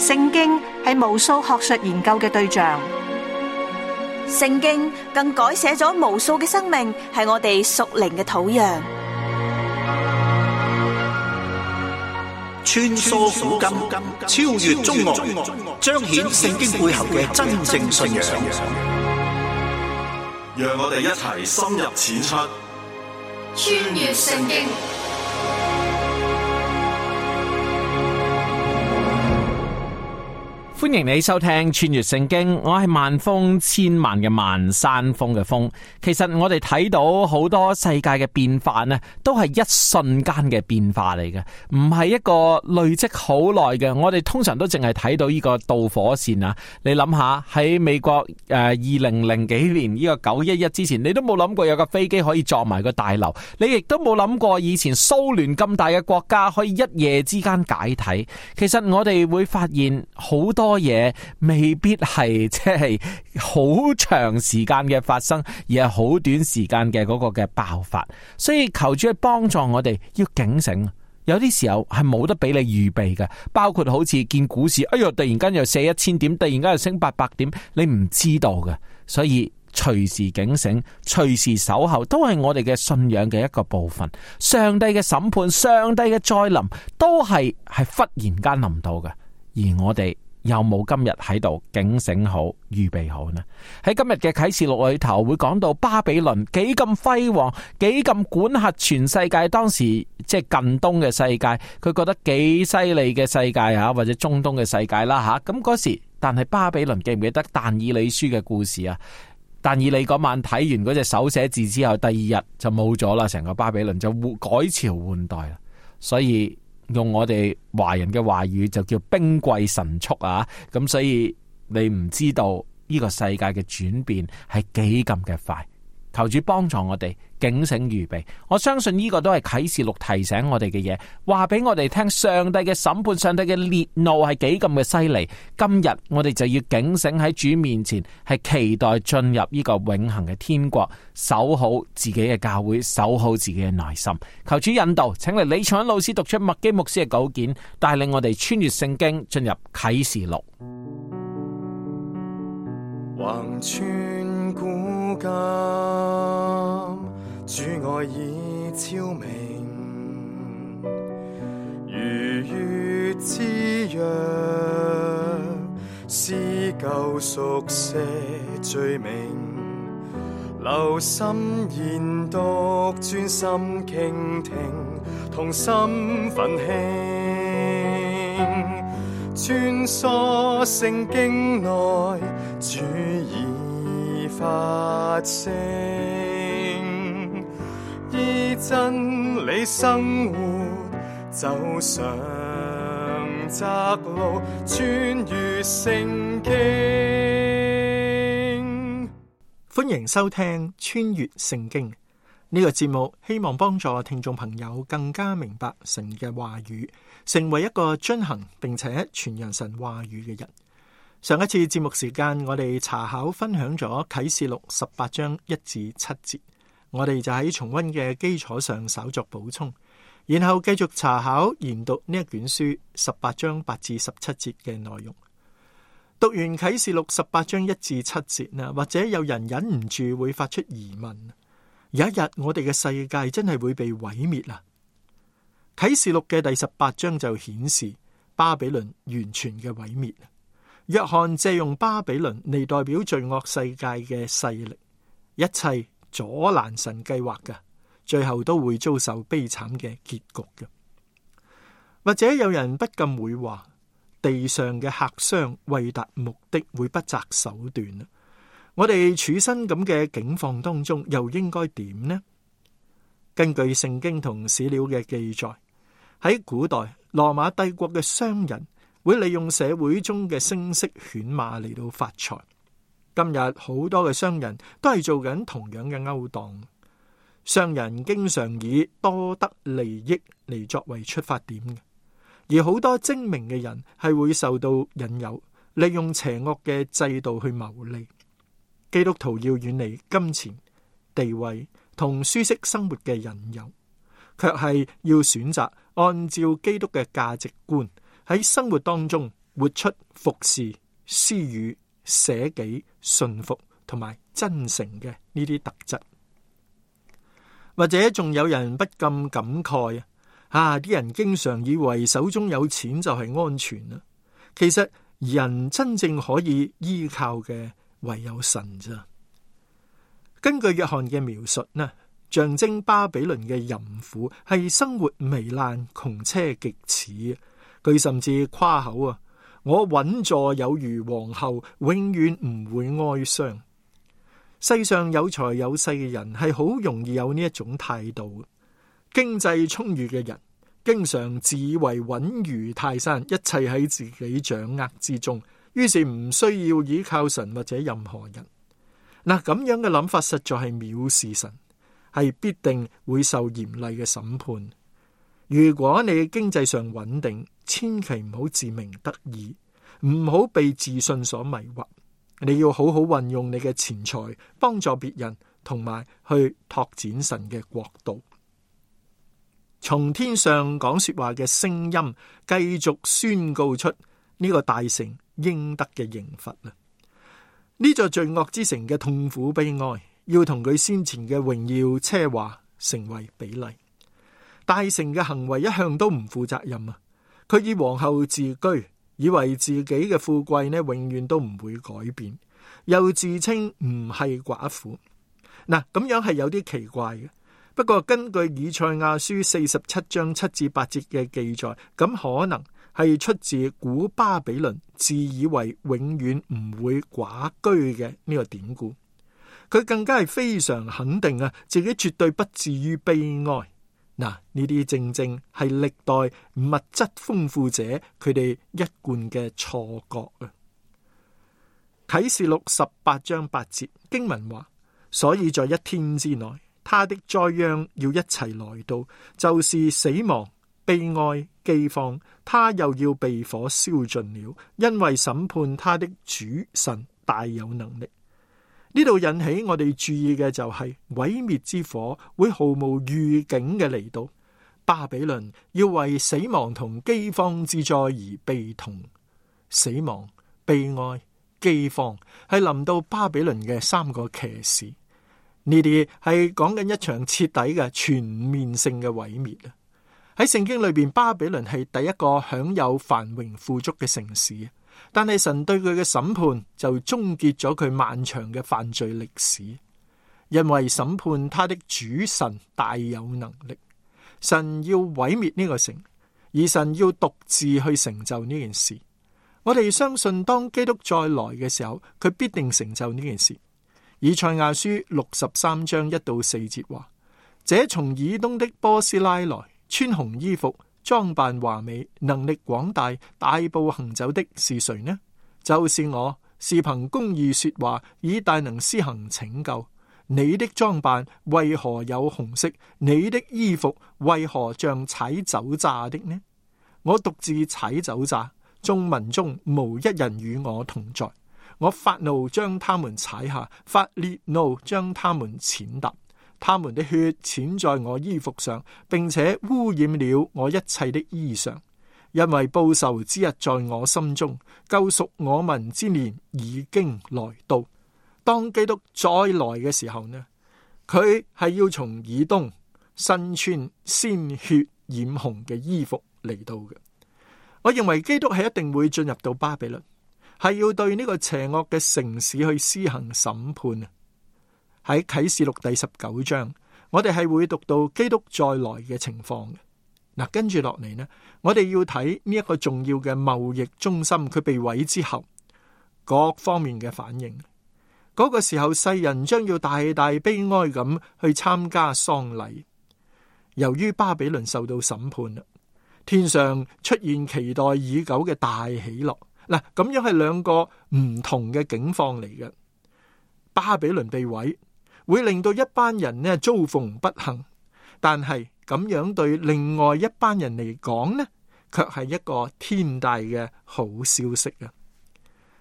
聖經係無數學術研究嘅對象，聖經更改寫咗無數嘅生命，係我哋屬靈嘅土壤。穿梭古今，超越中外，彰顯聖經背後嘅真正信仰。讓我哋一齊深入淺出，穿越聖經。歡迎你收聽穿越聖經，我係萬峰千萬嘅萬山峰嘅峰。其實我哋睇到好多世界嘅變化呢，都係一瞬間嘅變化嚟嘅，唔係一個累積好耐嘅。我哋通常都淨係睇到呢個導火線啊。你諗下喺美國2000幾年呢個911之前，你都冇諗過有架飛機可以撞埋個大樓，你亦都冇諗過以前蘇聯咁大嘅國家可以一夜之間解體。其實我哋會發現好多嘢未必係即係好長時間嘅發生，而係好短時間嘅嗰個嘅爆發。所以求主去幫助我哋要警醒，有啲時候係冇得俾你預備嘅，包括好似見股市，哎喲突然間又瀉1000點，突然間又升800點，你唔知道嘅。所以隨時警醒，隨時守候，都係我哋嘅信仰嘅一個部分。上帝嘅審判，上帝嘅再臨，都係忽然間臨到嘅，而我哋有冇今日喺度警醒好、預備好呢？喺今日嘅啟示錄裏頭會講到巴比倫幾咁輝煌，幾咁管轄全世界。當時即係近東嘅世界，佢覺得幾犀利嘅世界啊，或者中東嘅世界啦吓。咁嗰時，但係巴比倫記唔記得但以理書嘅故事啊？但以理嗰晚睇完嗰隻手寫字之後，第二日就冇咗啦，成個巴比倫就改朝換代啦。所以用我哋華人嘅話語就叫兵貴神速啊！咁所以你唔知道呢個世界嘅轉變係幾咁嘅快。求主幫助我哋警醒預備。我相信呢個都係啟示錄提醒我哋嘅嘢，話俾我哋聽上帝嘅審判，上帝嘅烈怒係幾咁嘅犀利。今日我哋就要警醒喺主面前，係期待進入呢個永恆嘅天國，守好自己嘅教會，守好自己嘅內心。求主引導，請嚟李長老師讀出麥基牧師嘅稿件，帶領我哋穿越聖經，進入啟示錄。橫穿古今，主愛已昭明，如月之約，撕舊熟寫罪名，留心研讀，專心傾聽，同心奮興，穿梭聖經內，主已發聲，依真理生活，走上窄路，穿越聖經。歡迎收聽穿越聖經呢個節目，希望幫助聽眾朋友更加明白神嘅話語，成為一個遵行並且傳揚神話語嘅人。上一次節目時間，我哋查考分享咗啟示錄18章1至7節，我哋就喺重溫嘅基礎上稍作補充，然後繼續查考研讀呢一卷書18章8至17節嘅內容。讀完啟示錄18章1至7節呢，或者有人忍唔住會發出疑問：有一日我哋嘅世界真係會被毀滅啊？啟示錄嘅第18章就顯示巴比倫完全嘅毀滅。約翰借用巴比倫嚟代表罪惡世界嘅勢力，一切阻攔神計劃嘅，最後都會遭受悲慘嘅結局嘅。或者有人不禁會話，地上嘅客商為達目的會不擇手段。我哋處身咁嘅境況當中，又應該點呢？根據聖經同史料嘅記載，喺古代羅馬帝國嘅商人會利用社會中嘅聲色犬馬嚟到發財。今日好多嘅商人都係做緊同樣嘅勾當。商人經常以多得利益嚟作為出發點嘅，而好多精明嘅人係會受到引誘，利用邪惡嘅制度去牟利。基督徒要遠離金錢、地位同舒適生活嘅引誘，卻係要選擇按照基督嘅價值觀喺生活當中活出服侍、施予、捨己、順服同埋真誠嘅呢啲特質。或者仲有人不禁感慨啲人經常以為手中有錢就係安全啦。其實人真正可以依靠嘅唯有神咋。根據約翰嘅描述呢，象徵巴比倫嘅淫婦係生活糜爛、窮奢極侈。佢甚至誇口我穩坐有如皇后，永遠唔會哀傷。世上有財有勢嘅人係好容易有呢一種態度。經濟充裕嘅人經常自以為穩如泰山，一切喺自己掌握之中，於是唔需要依靠神或者任何人。咁樣嘅諗法實在係藐視神，係必定會受嚴厲嘅審判。如果你經濟上穩定，千祈唔好自鳴得意，唔好被自信所迷惑。你要好好運用你嘅錢財，幫助別人，同埋去拓展神嘅國度。從天上講說話嘅聲音，繼續宣告出呢個大城應得嘅刑罰啦。呢座罪惡之城嘅痛苦悲哀，要同佢先前嘅榮耀奢華成為比例。大城嘅行為一向都唔負責任啊！佢以皇后自居，以為自己嘅富貴呢永遠都唔會改變，又自稱唔係寡婦。咁樣係有啲奇怪嘅。不過根據以賽亞書47章7至8節嘅記載，咁可能係出自古巴比倫自以為永遠唔會寡居嘅呢個典故。佢更加係非常肯定自己絕對不至於悲哀。呢啲正正係歷代物質豐富者佢哋一貫嘅錯覺啊！啟示錄18章8節經文話：所以在一天之內，他的災殃要一齊來到，就是死亡、悲哀、饑荒，他又要被火燒盡了，因為審判他的主神大有能力。呢度引起我哋注意嘅就係毀滅之火會毫無預警嘅嚟到，巴比倫要為死亡同饑荒之災而悲痛。死亡、悲哀、饑荒係臨到巴比倫嘅三個騎士，呢啲係講緊一場徹底嘅全面性嘅毀滅啊！喺聖經裏邊，巴比倫係第一個享有繁榮富足嘅城市。但係神對佢嘅審判就終結咗佢漫長嘅犯罪歷史，因為審判他的主神大有能力，神要毀滅呢個城，而神要獨自去成就呢件事。我哋相信當基督再來嘅時候，佢必定成就呢件事。以賽亞書63章1到4節話：這從以東的波斯拉來，穿紅衣服，裝扮華美，能力廣大，大步行走的是誰呢？就是我，是憑公義說話，以大能施行拯救。你的裝扮為何有紅色？你的衣服為何像踩酒榨的呢？我獨自踩酒榨，眾民中無一人與我同在。我發怒將他們踩下，發烈怒將他們踐踏。他們的血濺在我衣服上，並且污染了我一切的衣裳。因為報仇之日在我心中，救贖我民之年已經來到。當基督再來嘅時候呢，佢係要從以東身穿鮮血染紅嘅衣服嚟到嘅。我認為基督係一定會進入到巴比倫，係要對呢個邪惡嘅城市去施行審判啊！喺啟示錄第19章，我哋係會讀到基督再來嘅情況嘅。跟住落嚟呢，我哋要睇呢一個重要嘅貿易中心，佢被毀之後各方面嘅反應。嗰個時候，世人將要大大悲哀咁去參加喪禮。由於巴比倫受到審判啦，天上出現期待已久嘅大喜樂。咁樣係兩個唔同嘅境況嚟嘅。巴比倫被毀，會令到一班人呢遭逢不幸，但係咁樣對另外一班人嚟講呢，卻係一個天大嘅好消息啊！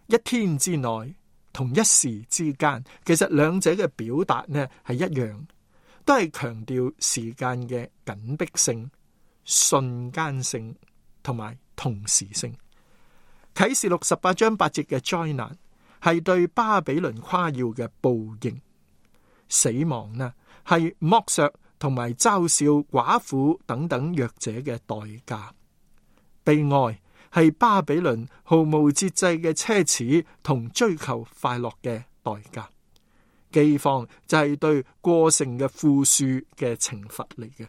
一天之內，同一時之間，其實兩者嘅表達呢係一樣，都係強調時間嘅緊迫性、瞬間性同埋同時性。啟示錄18章8節嘅災難係對巴比倫誇耀嘅報應，死亡呢係剝削同埋嘲笑寡婦等等弱者嘅代價，悲哀係巴比倫毫無節制嘅奢侈同追求快樂嘅代價，饑荒就係對過剩嘅富庶嘅懲罰嚟嘅。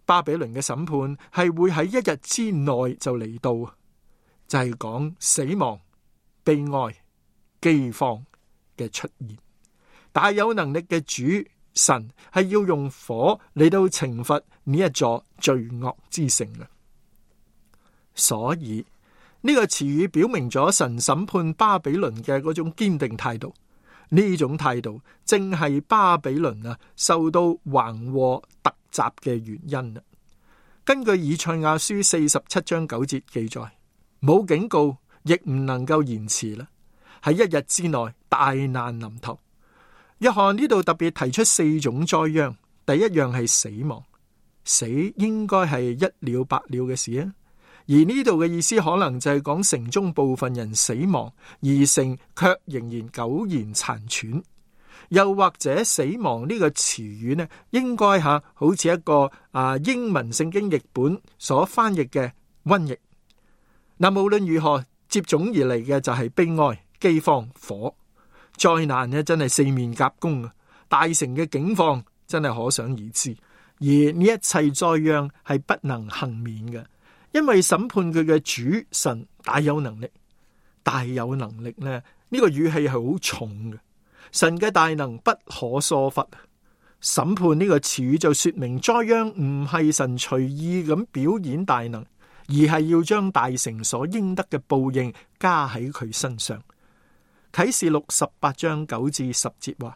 巴比倫嘅審判係會喺一日之內就嚟到，就係講死亡、悲哀、饑荒嘅出現。大有能力嘅主神係要用火嚟到懲罰呢一座罪惡之城嘅。所以呢個詞語表明咗神審判巴比倫嘅嗰種堅定態度，呢種態度正係巴比倫受到橫禍突襲嘅原因。根據以賽亞書47章9節記載，冇警告亦唔能夠延遲啦，喺一日之內大難臨頭。約翰呢度特別提出4種災殃，第一樣係死亡，死應該係一了百了嘅事啊。而呢度嘅意思可能就係講城中部分人死亡，而城卻仍然苟延殘喘。又或者死亡呢個詞語呢，應該好似一個英文聖經譯本所翻譯嘅瘟疫。無論如何，接踵而嚟嘅就係悲哀、饑荒、火。災難呢真係四面夾攻啊！大城嘅境況真係可想而知。而呢一切災殃係不能幸免嘅，因為審判佢嘅主神大有能力。大有能力呢，呢個語氣係好重嘅。神嘅大能不可疏忽。審判呢個詞語就說明災殃唔係神隨意咁表演大能，而係要將大城所應得嘅報應加喺佢身上。啟示錄18章9至10節話：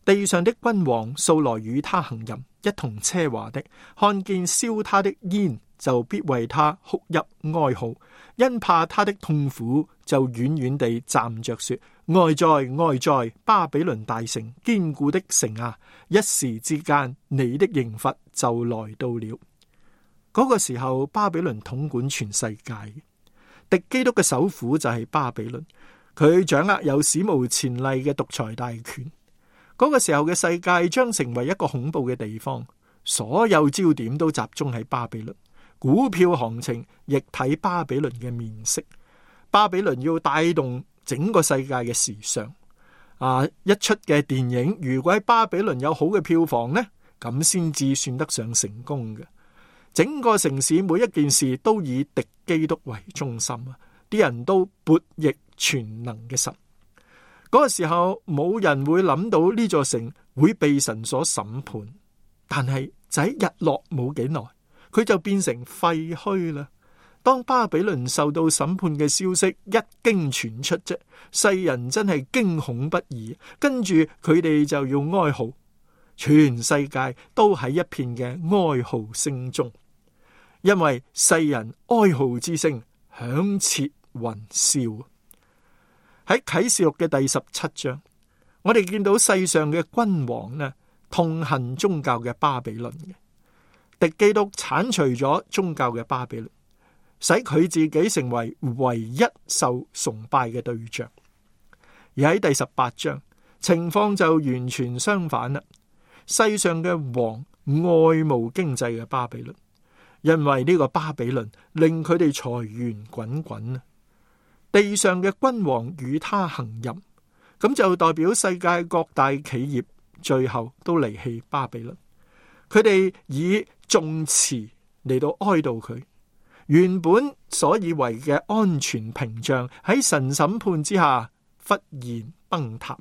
地上的君王素來與他行淫，一同奢華的，看見燒他的煙，就必為他哭泣哀號，因怕他的痛苦，就遠遠地站着說：哀哉哀哉，巴比倫大城，堅固的城啊！一時之間，你的刑罰就來到了。嗰個時候，巴比倫統管全世界，敵基督嘅首府就係巴比倫。佢掌握有史無前例嘅獨裁大權。嗰個時候嘅世界將成為一個恐怖嘅地方，所有焦點都集中喺巴比倫，股票行情亦睇巴比倫嘅面色。巴比倫要帶動整個世界嘅時尚。一出嘅電影如果喺巴比倫有好嘅票房呢，咁先至算得上成功嘅。整個城市每一件事都以敵基督為中心啊！啲人都悖逆全能嘅神。嗰個時候冇人會諗到呢座城會被神所審判，但係就喺日落冇幾耐，佢就變成廢墟啦。當巴比倫受到審判嘅消息一經傳出啫，世人真係驚恐不已，跟住佢哋就要哀號，全世界都喺一片嘅哀號聲中，因為世人哀號之聲響徹雲霄。喺啟示錄嘅第17章，我哋見到世上嘅君王呢，痛恨宗教嘅巴比倫嘅，敵基督鏟除咗宗教嘅巴比倫，使佢自己成為唯一受崇拜嘅對象。而喺第18章，情況就完全相反啦。世上嘅王愛慕經濟嘅巴比倫，因為呢個巴比倫令佢哋財源滾滾啊。地上嘅君王與他行淫，咁就代表世界各大企業最後都離棄巴比倫。佢哋以頌詞嚟到哀悼佢，原本所以為嘅安全屏障喺神審判之下忽然崩塌。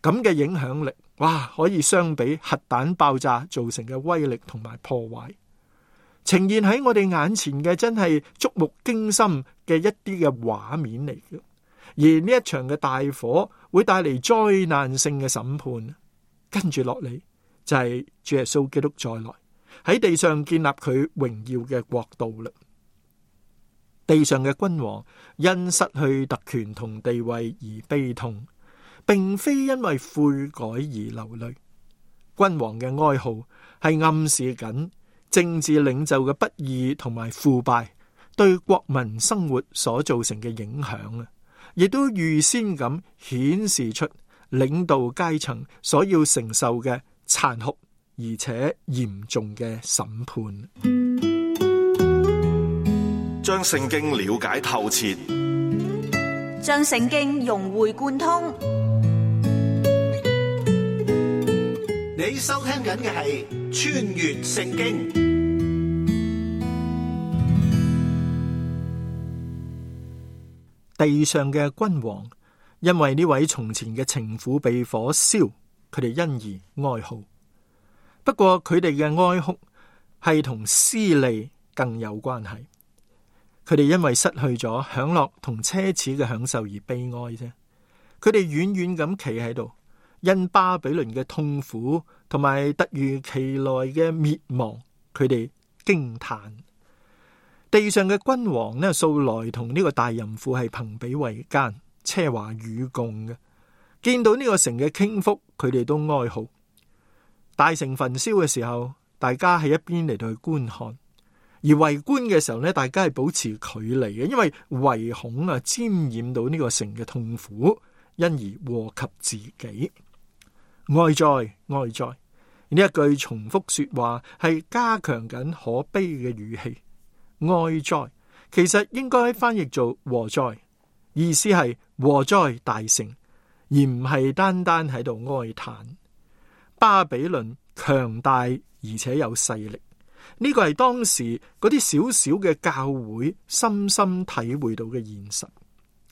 咁嘅影響力，哇，可以相比核彈爆炸造成嘅威力同埋破壞。呈現喺我哋眼前嘅真係觸目驚心嘅一啲嘅畫面嚟嘅，而呢一場嘅大火會帶嚟災難性嘅審判，跟住落嚟就係主耶穌基督再來喺地上建立佢榮耀嘅國度啦。地上嘅君王因失去特權同地位而悲痛，並非因為悔改而流淚。君王嘅哀號係暗示緊政治領袖嘅不義同埋腐敗對國民生活所造成嘅影響啊，亦都預先咁顯示出領導階層所要承受嘅殘酷而且嚴重嘅審判。將聖經了解透徹，將聖經融會貫通。你收聽緊嘅係穿越聖經。地上嘅君王因為呢位從前嘅情婦被火燒，佢哋因而哀號。不過佢哋嘅哀哭係同私利更有關係。佢哋因為失去咗享樂同奢侈嘅享受而悲哀啫。佢哋遠遠咁企喺度，因巴比倫嘅痛苦同埋突如其來嘅滅亡，佢哋驚嘆。地上嘅君王呢，素來同呢個大淫婦係朋比為奸，奢華與共嘅。見到呢個城嘅傾覆，佢哋都哀號。大城焚燒嘅時候，大家喺一邊嚟到去觀看；而圍觀嘅時候呢，大家係保持距離嘅，因為唯恐沾染到呢個城嘅痛苦，因而禍及自己。哀哉哀哉，呢一句重複說話係加強緊可悲嘅語氣。哀哉其實應該翻譯做禍哉，意思係禍哉大城，而唔係單單喺度哀嘆。巴比倫強大而且有勢力，呢個係當時嗰啲小小嘅教會深深體會到嘅現實。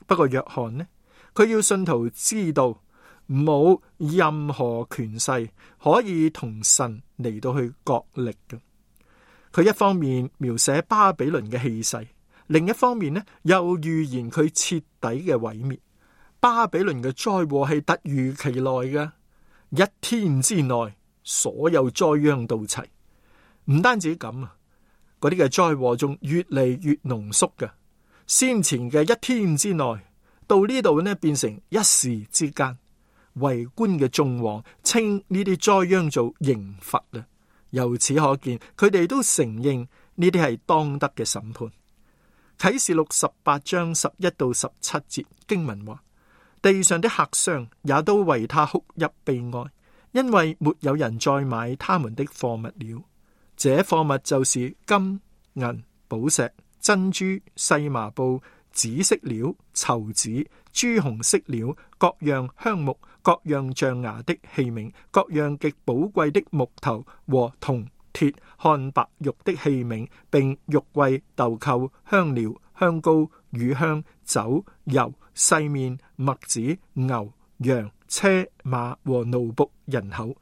不過約翰呢，佢要信徒知道冇任何權勢可以同神嚟到去角力嘅。佢一方面描寫巴比倫嘅氣勢，另一方面呢，又預言佢徹底嘅毀滅。巴比倫嘅災禍係突如其來嘅，一天之內所有災殃到齊。唔單止咁啊，嗰啲嘅災禍仲越嚟越濃縮嘅。先前嘅一天之內，到呢度呢，變成一時之間。圍觀嘅眾王稱呢啲災殃做刑罰啊。由此可見，佢哋都承認呢啲係當得嘅審判。啟示錄18章11到17節經文話：地上的客商也都為他哭泣悲哀，因為沒有人再買他們的貨物了。這貨物就是金、銀、寶石、珍珠、細麻布、紫色料、綢子、朱紅色料，各樣香木，各樣象牙的器皿，各樣極寶貴的木頭和銅鐵漢白玉的器皿，並玉桂、豆蔻、香料、香膏、乳香、酒、油、細麵、麥子、牛、羊、車馬和奴僕人口。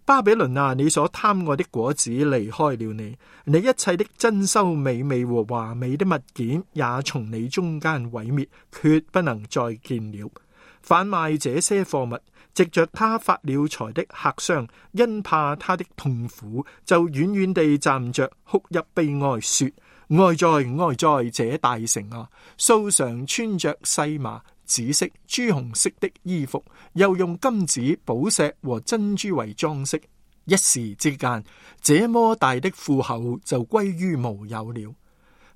巴比倫啊，你所貪愛的果子離開了你，你一切的珍饈美味和華美的物件也從你中間毀滅，決不能再見了。販賣這些貨物，藉着他發了財的客商，因怕他的痛苦，就遠遠地站着哭泣悲哀，說：哀哉哀哉，這大城啊！素常穿着細麻、紫色、朱紅色的衣服，又用金子、寶石和珍珠為裝飾，一時之間，這麼大的富厚就歸於無有了。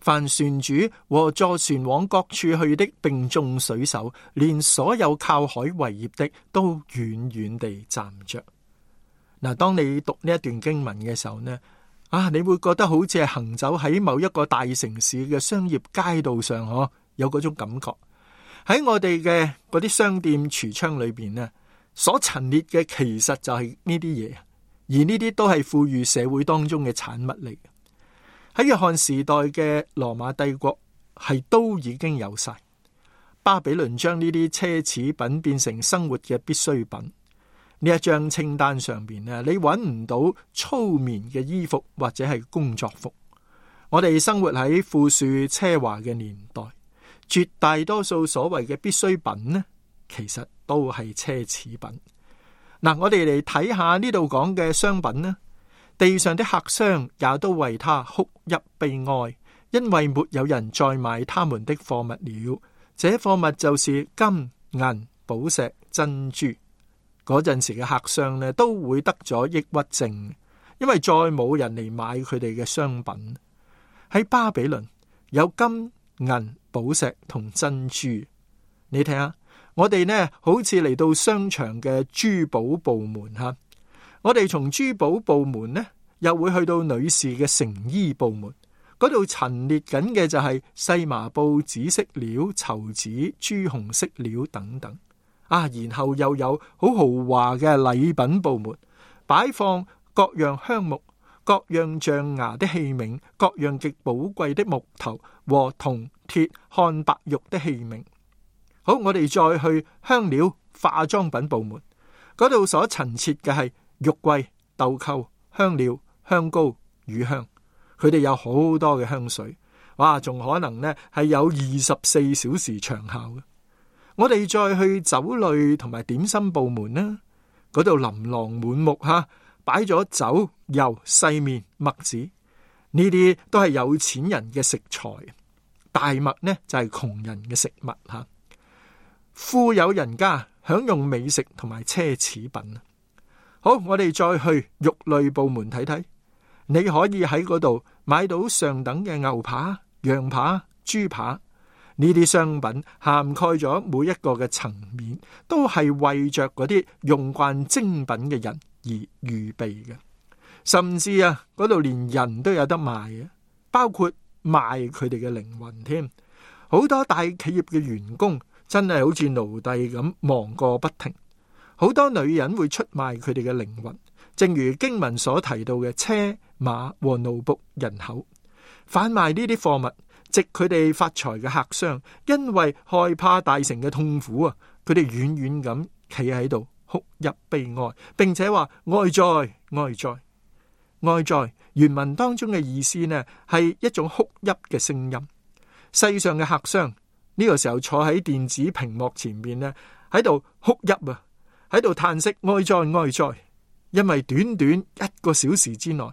凡船主和坐船往各處去的，並眾水手，連所有靠海為業的，都遠遠地站着。嗱，當你讀呢一段經文嘅時候呢，你會覺得好似係行走喺某一個大城市嘅商業街道上，有嗰種感覺。喺我哋嘅嗰啲商店櫥窗裏邊呢，所陳列嘅其實就係呢啲嘢，而呢啲都係富裕社會當中嘅產物嚟。喺約翰時代嘅羅馬帝國係都已經有晒。巴比倫將呢啲奢侈品變成生活嘅必需品。呢一張清單上邊呢，你揾唔到粗棉嘅衣服或者係工作服。我哋生活喺富庶奢華嘅年代，絕大多數所謂嘅必需品呢，其實都係奢侈品。嗱，我哋嚟睇下呢度講嘅商品呢。地上的客商也都為他哭泣悲哀，因為沒有人再買他們的貨物了。這貨物就是金、銀、寶石、珍珠。嗰陣時嘅客商呢，都會得咗抑鬱症，因為再冇人嚟買佢哋嘅商品。喺巴比倫，有金銀寶石同珍珠。你睇下，我哋呢好似嚟到商場嘅珠寶部門吓，我哋從珠寶部門呢又會去到女士嘅成衣部門，嗰度陳列緊嘅就係細麻布、紫色料、綢子、朱紅色料等等啊，然後又有好豪華嘅禮品部門，擺放各樣香木、各樣象牙的器皿、各樣極寶貴的木頭和銅、鐵、漢白玉的器皿。好，我哋再去香料化妝品部門，嗰度所陳設嘅係玉桂、豆蔻、香料、香膏、乳香，佢哋有好多嘅香水，哇，仲可能呢係有24小時長效嘅。我哋再去酒類同埋點心部門啦，嗰度琳琅滿目吓，擺咗酒、油、細麵、麥子，呢啲都係有錢人嘅食材，大麥呢就係窮人嘅食物吓。富有人家享用美食同埋奢侈品。好，我哋再去肉類部門睇睇，你可以喺嗰度買到上等嘅牛扒、羊扒、豬扒，呢啲商品涵蓋咗每一個嘅層面，都係為着嗰啲用慣精品嘅人而預備嘅。甚至啊，嗰度連人都有得賣嘅，包括賣佢哋嘅靈魂添。好多大企業嘅員工真係好似奴隸咁忙個不停，好多女人會出賣佢哋嘅靈魂，正如經文所提到嘅車馬和奴僕人口，販賣呢啲貨物，藉佢哋發財嘅客商，因為害怕大城嘅痛苦啊，佢哋遠遠咁企喺度哭泣悲哀，並且話哀哉哀哉哀哉。原文當中嘅意思呢，係一種哭泣嘅聲音。世上嘅客商呢個時候坐喺電子屏幕前面呢，喺度哭泣啊，喺度嘆息哀哉哀哉，因為短短1個小時之內，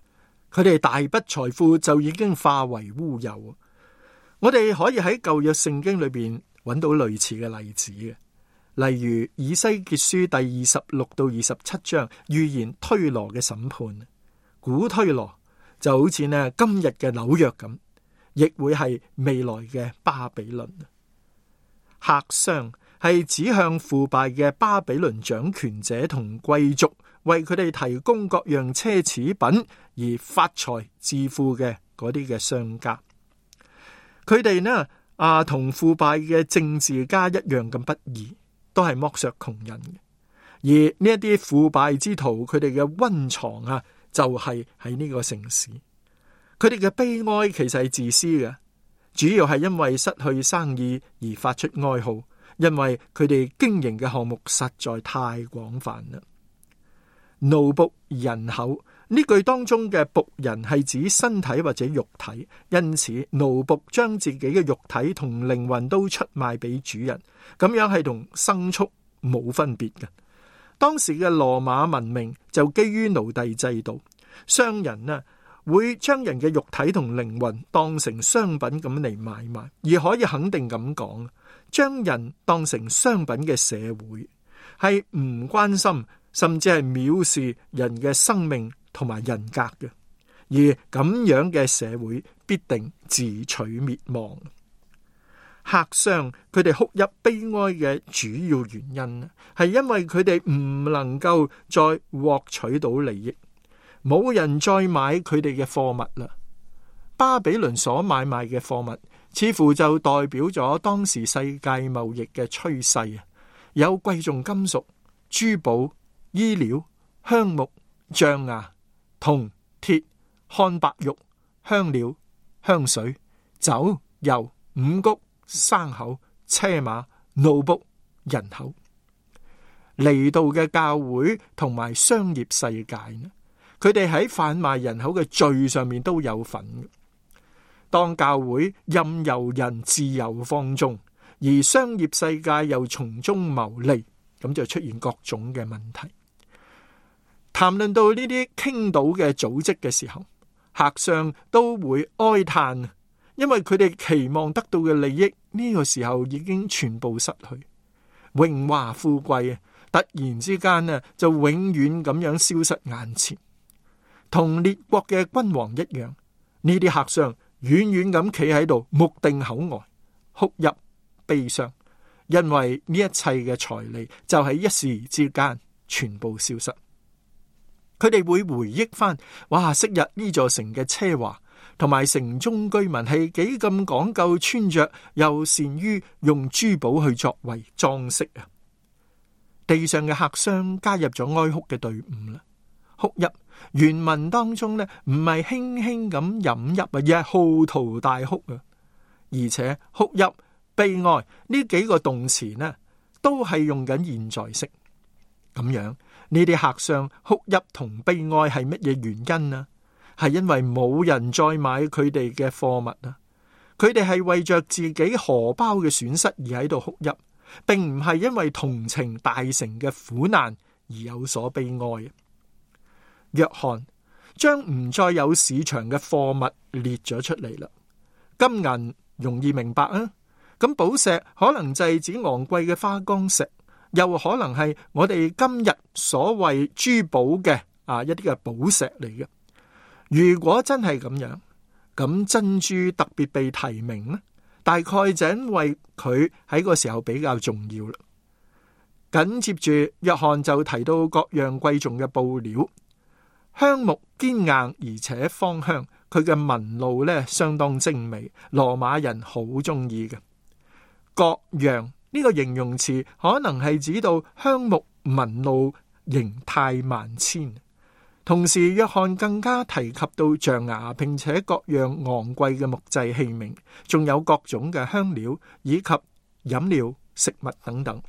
佢哋大筆財富就已經化為烏有。我哋可以喺舊約聖經裏邊揾到類似嘅例子嘅，例如以西結書第26到27章預言推羅嘅審判。古推羅就好似呢今日嘅紐約咁，亦會係未來嘅巴比倫。客商係指向腐敗嘅巴比倫掌權者同貴族，為佢哋提供各樣奢侈品而發財致富嘅嗰啲嘅商家。佢哋呢同腐敗嘅政治家一樣咁不義，都係剝削窮人嘅。而呢一啲腐敗之徒，佢哋嘅溫床啊，就係喺呢個城市。佢哋嘅悲哀其實係自私嘅，主要係因為失去生意而發出哀號，因為佢哋經營嘅項目實在太廣泛啦。奴僕人口呢句當中嘅僕人係指身體或者肉體，因此奴僕將自己嘅肉體同靈魂都出賣俾主人，咁樣係同牲畜冇分別嘅。當時嘅羅馬文明就基於奴隸制度，商人啊會將人嘅肉體同靈魂當成商品咁嚟買賣，而可以肯定咁講，將人當成商品嘅社會係唔關心，甚至係藐視人嘅生命同埋人格嘅，而咁樣嘅社會必定自取滅亡。客商佢哋哭泣悲哀嘅主要原因係因為佢哋唔能夠再獲取到利益，冇人再買佢哋嘅貨物啦。巴比倫所買賣嘅貨物似乎就代表咗當時世界貿易嘅趨勢啊，有貴重金屬、珠寶、衣料、香木、象牙、銅、鐵、漢白玉、香料、香水、酒、油、五穀、牲口、車馬、奴僕、人口。嚟到嘅教會同埋商業世界呢，佢哋喺販賣人口嘅罪上面都有份。當教會任由人自由放縱，而商業世界又從中牟利，咁就出現各種嘅問題。談論到呢啲傾倒嘅組織嘅時候，客商都會哀嘆，因為佢哋期望得到嘅利益呢個時候已經全部失去，榮華富貴突然之間就永遠咁樣消失眼前。同列國嘅君王一樣，呢啲客商遠遠咁企喺度，目定口呆，哭泣悲傷，因為呢一切嘅財利就喺一時之間全部消失。佢哋會回憶翻，哇！昔日呢座城嘅奢華，同埋城中居民係幾咁講究穿着，又善於用珠寶去作為裝飾啊！地上嘅客商加入咗哀哭嘅隊伍啦。哭泣原文當中呢，唔係輕輕咁飲泣啊，而係嚎啕大哭啊！而且哭泣、悲哀呢幾個動詞呢，都係用緊現在式。咁樣呢啲客商哭泣同悲哀係乜嘢原因啊？係因為冇人再買佢哋嘅貨物啊！佢哋係為着自己荷包嘅損失而喺度哭泣，並唔係因為同情大城嘅苦難而有所悲哀。約翰將唔再有市場嘅貨物列咗出嚟啦。金銀容易明白啊，咁寶石可能就係指昂貴嘅花崗石，又可能係我哋今日所謂珠寶嘅一啲嘅寶石嚟嘅。如果真係咁樣，咁珍珠特別被提名呢，大概就因為佢喺個時候比較重要啦。緊接住約翰就提到各樣貴重嘅布料，香木堅硬而且芳香，佢嘅紋路呢相當精美，羅馬人好中意嘅。各樣呢個形容詞可能係指到香木紋路形態萬千。同時約翰更加提及到象牙，並且各樣昂貴嘅木製器皿，仲有各種嘅香料以及飲料、食物等等。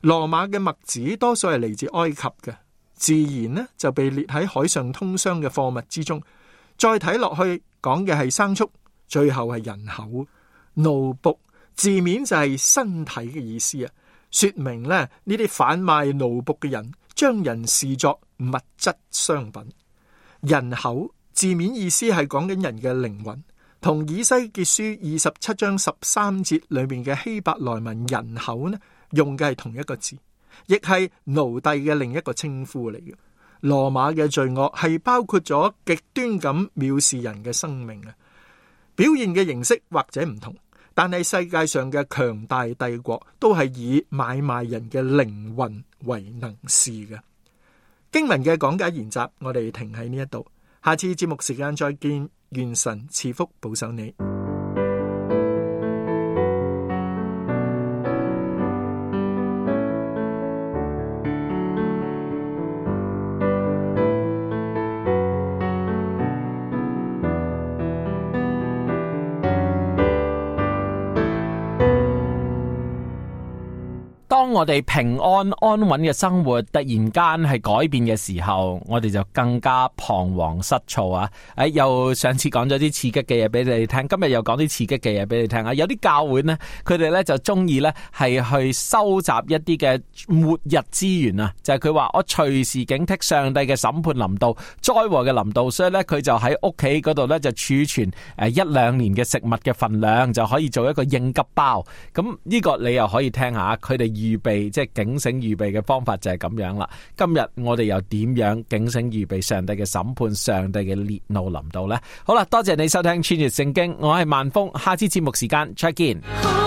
羅馬嘅麥子多數係嚟自埃及嘅，自然呢就被列喺海上通商嘅貨物之中。再睇落去講嘅係牲畜，最後係人口。奴僕字面就係身體嘅意思啊，說明呢啲販賣奴僕嘅人將人視作物質商品。人口字面意思係講緊人嘅靈魂，同以西結書27章13節裏面嘅希伯來文人口呢，用嘅係同一個字，亦係奴隸嘅另一個稱呼嚟嘅。羅馬嘅罪惡係包括咗極端咁藐視人嘅生命啊，表現嘅形式或者唔同，但係世界上嘅強大帝國都係以買賣人嘅靈魂為能事嘅。經文嘅講解研習，我哋停喺呢一度，下次節目時間再見，願神賜福保守你。當我哋平安安穩嘅生活突然間係改變嘅時候，我哋就更加彷徨失措啊！又上次講咗啲刺激嘅嘢俾你哋聽，今日又講啲刺激嘅嘢俾你聽啊！有啲教會呢，佢哋呢就中意呢係去收集一啲嘅末日資源啊！就係佢話我隨時警惕上帝嘅審判臨到、災禍嘅臨到，所以呢，佢就喺屋企嗰度呢就儲存1-2年嘅食物嘅份量，就可以做一個應急包。咁呢個你又可以聽下，佢哋預備即係警醒預備嘅方法就係咁樣啦。今日我哋又點樣警醒預備上帝嘅審判、上帝嘅烈怒臨到呢？好啦，多謝你收聽穿越聖經，我係萬峰，下次節目時間再見。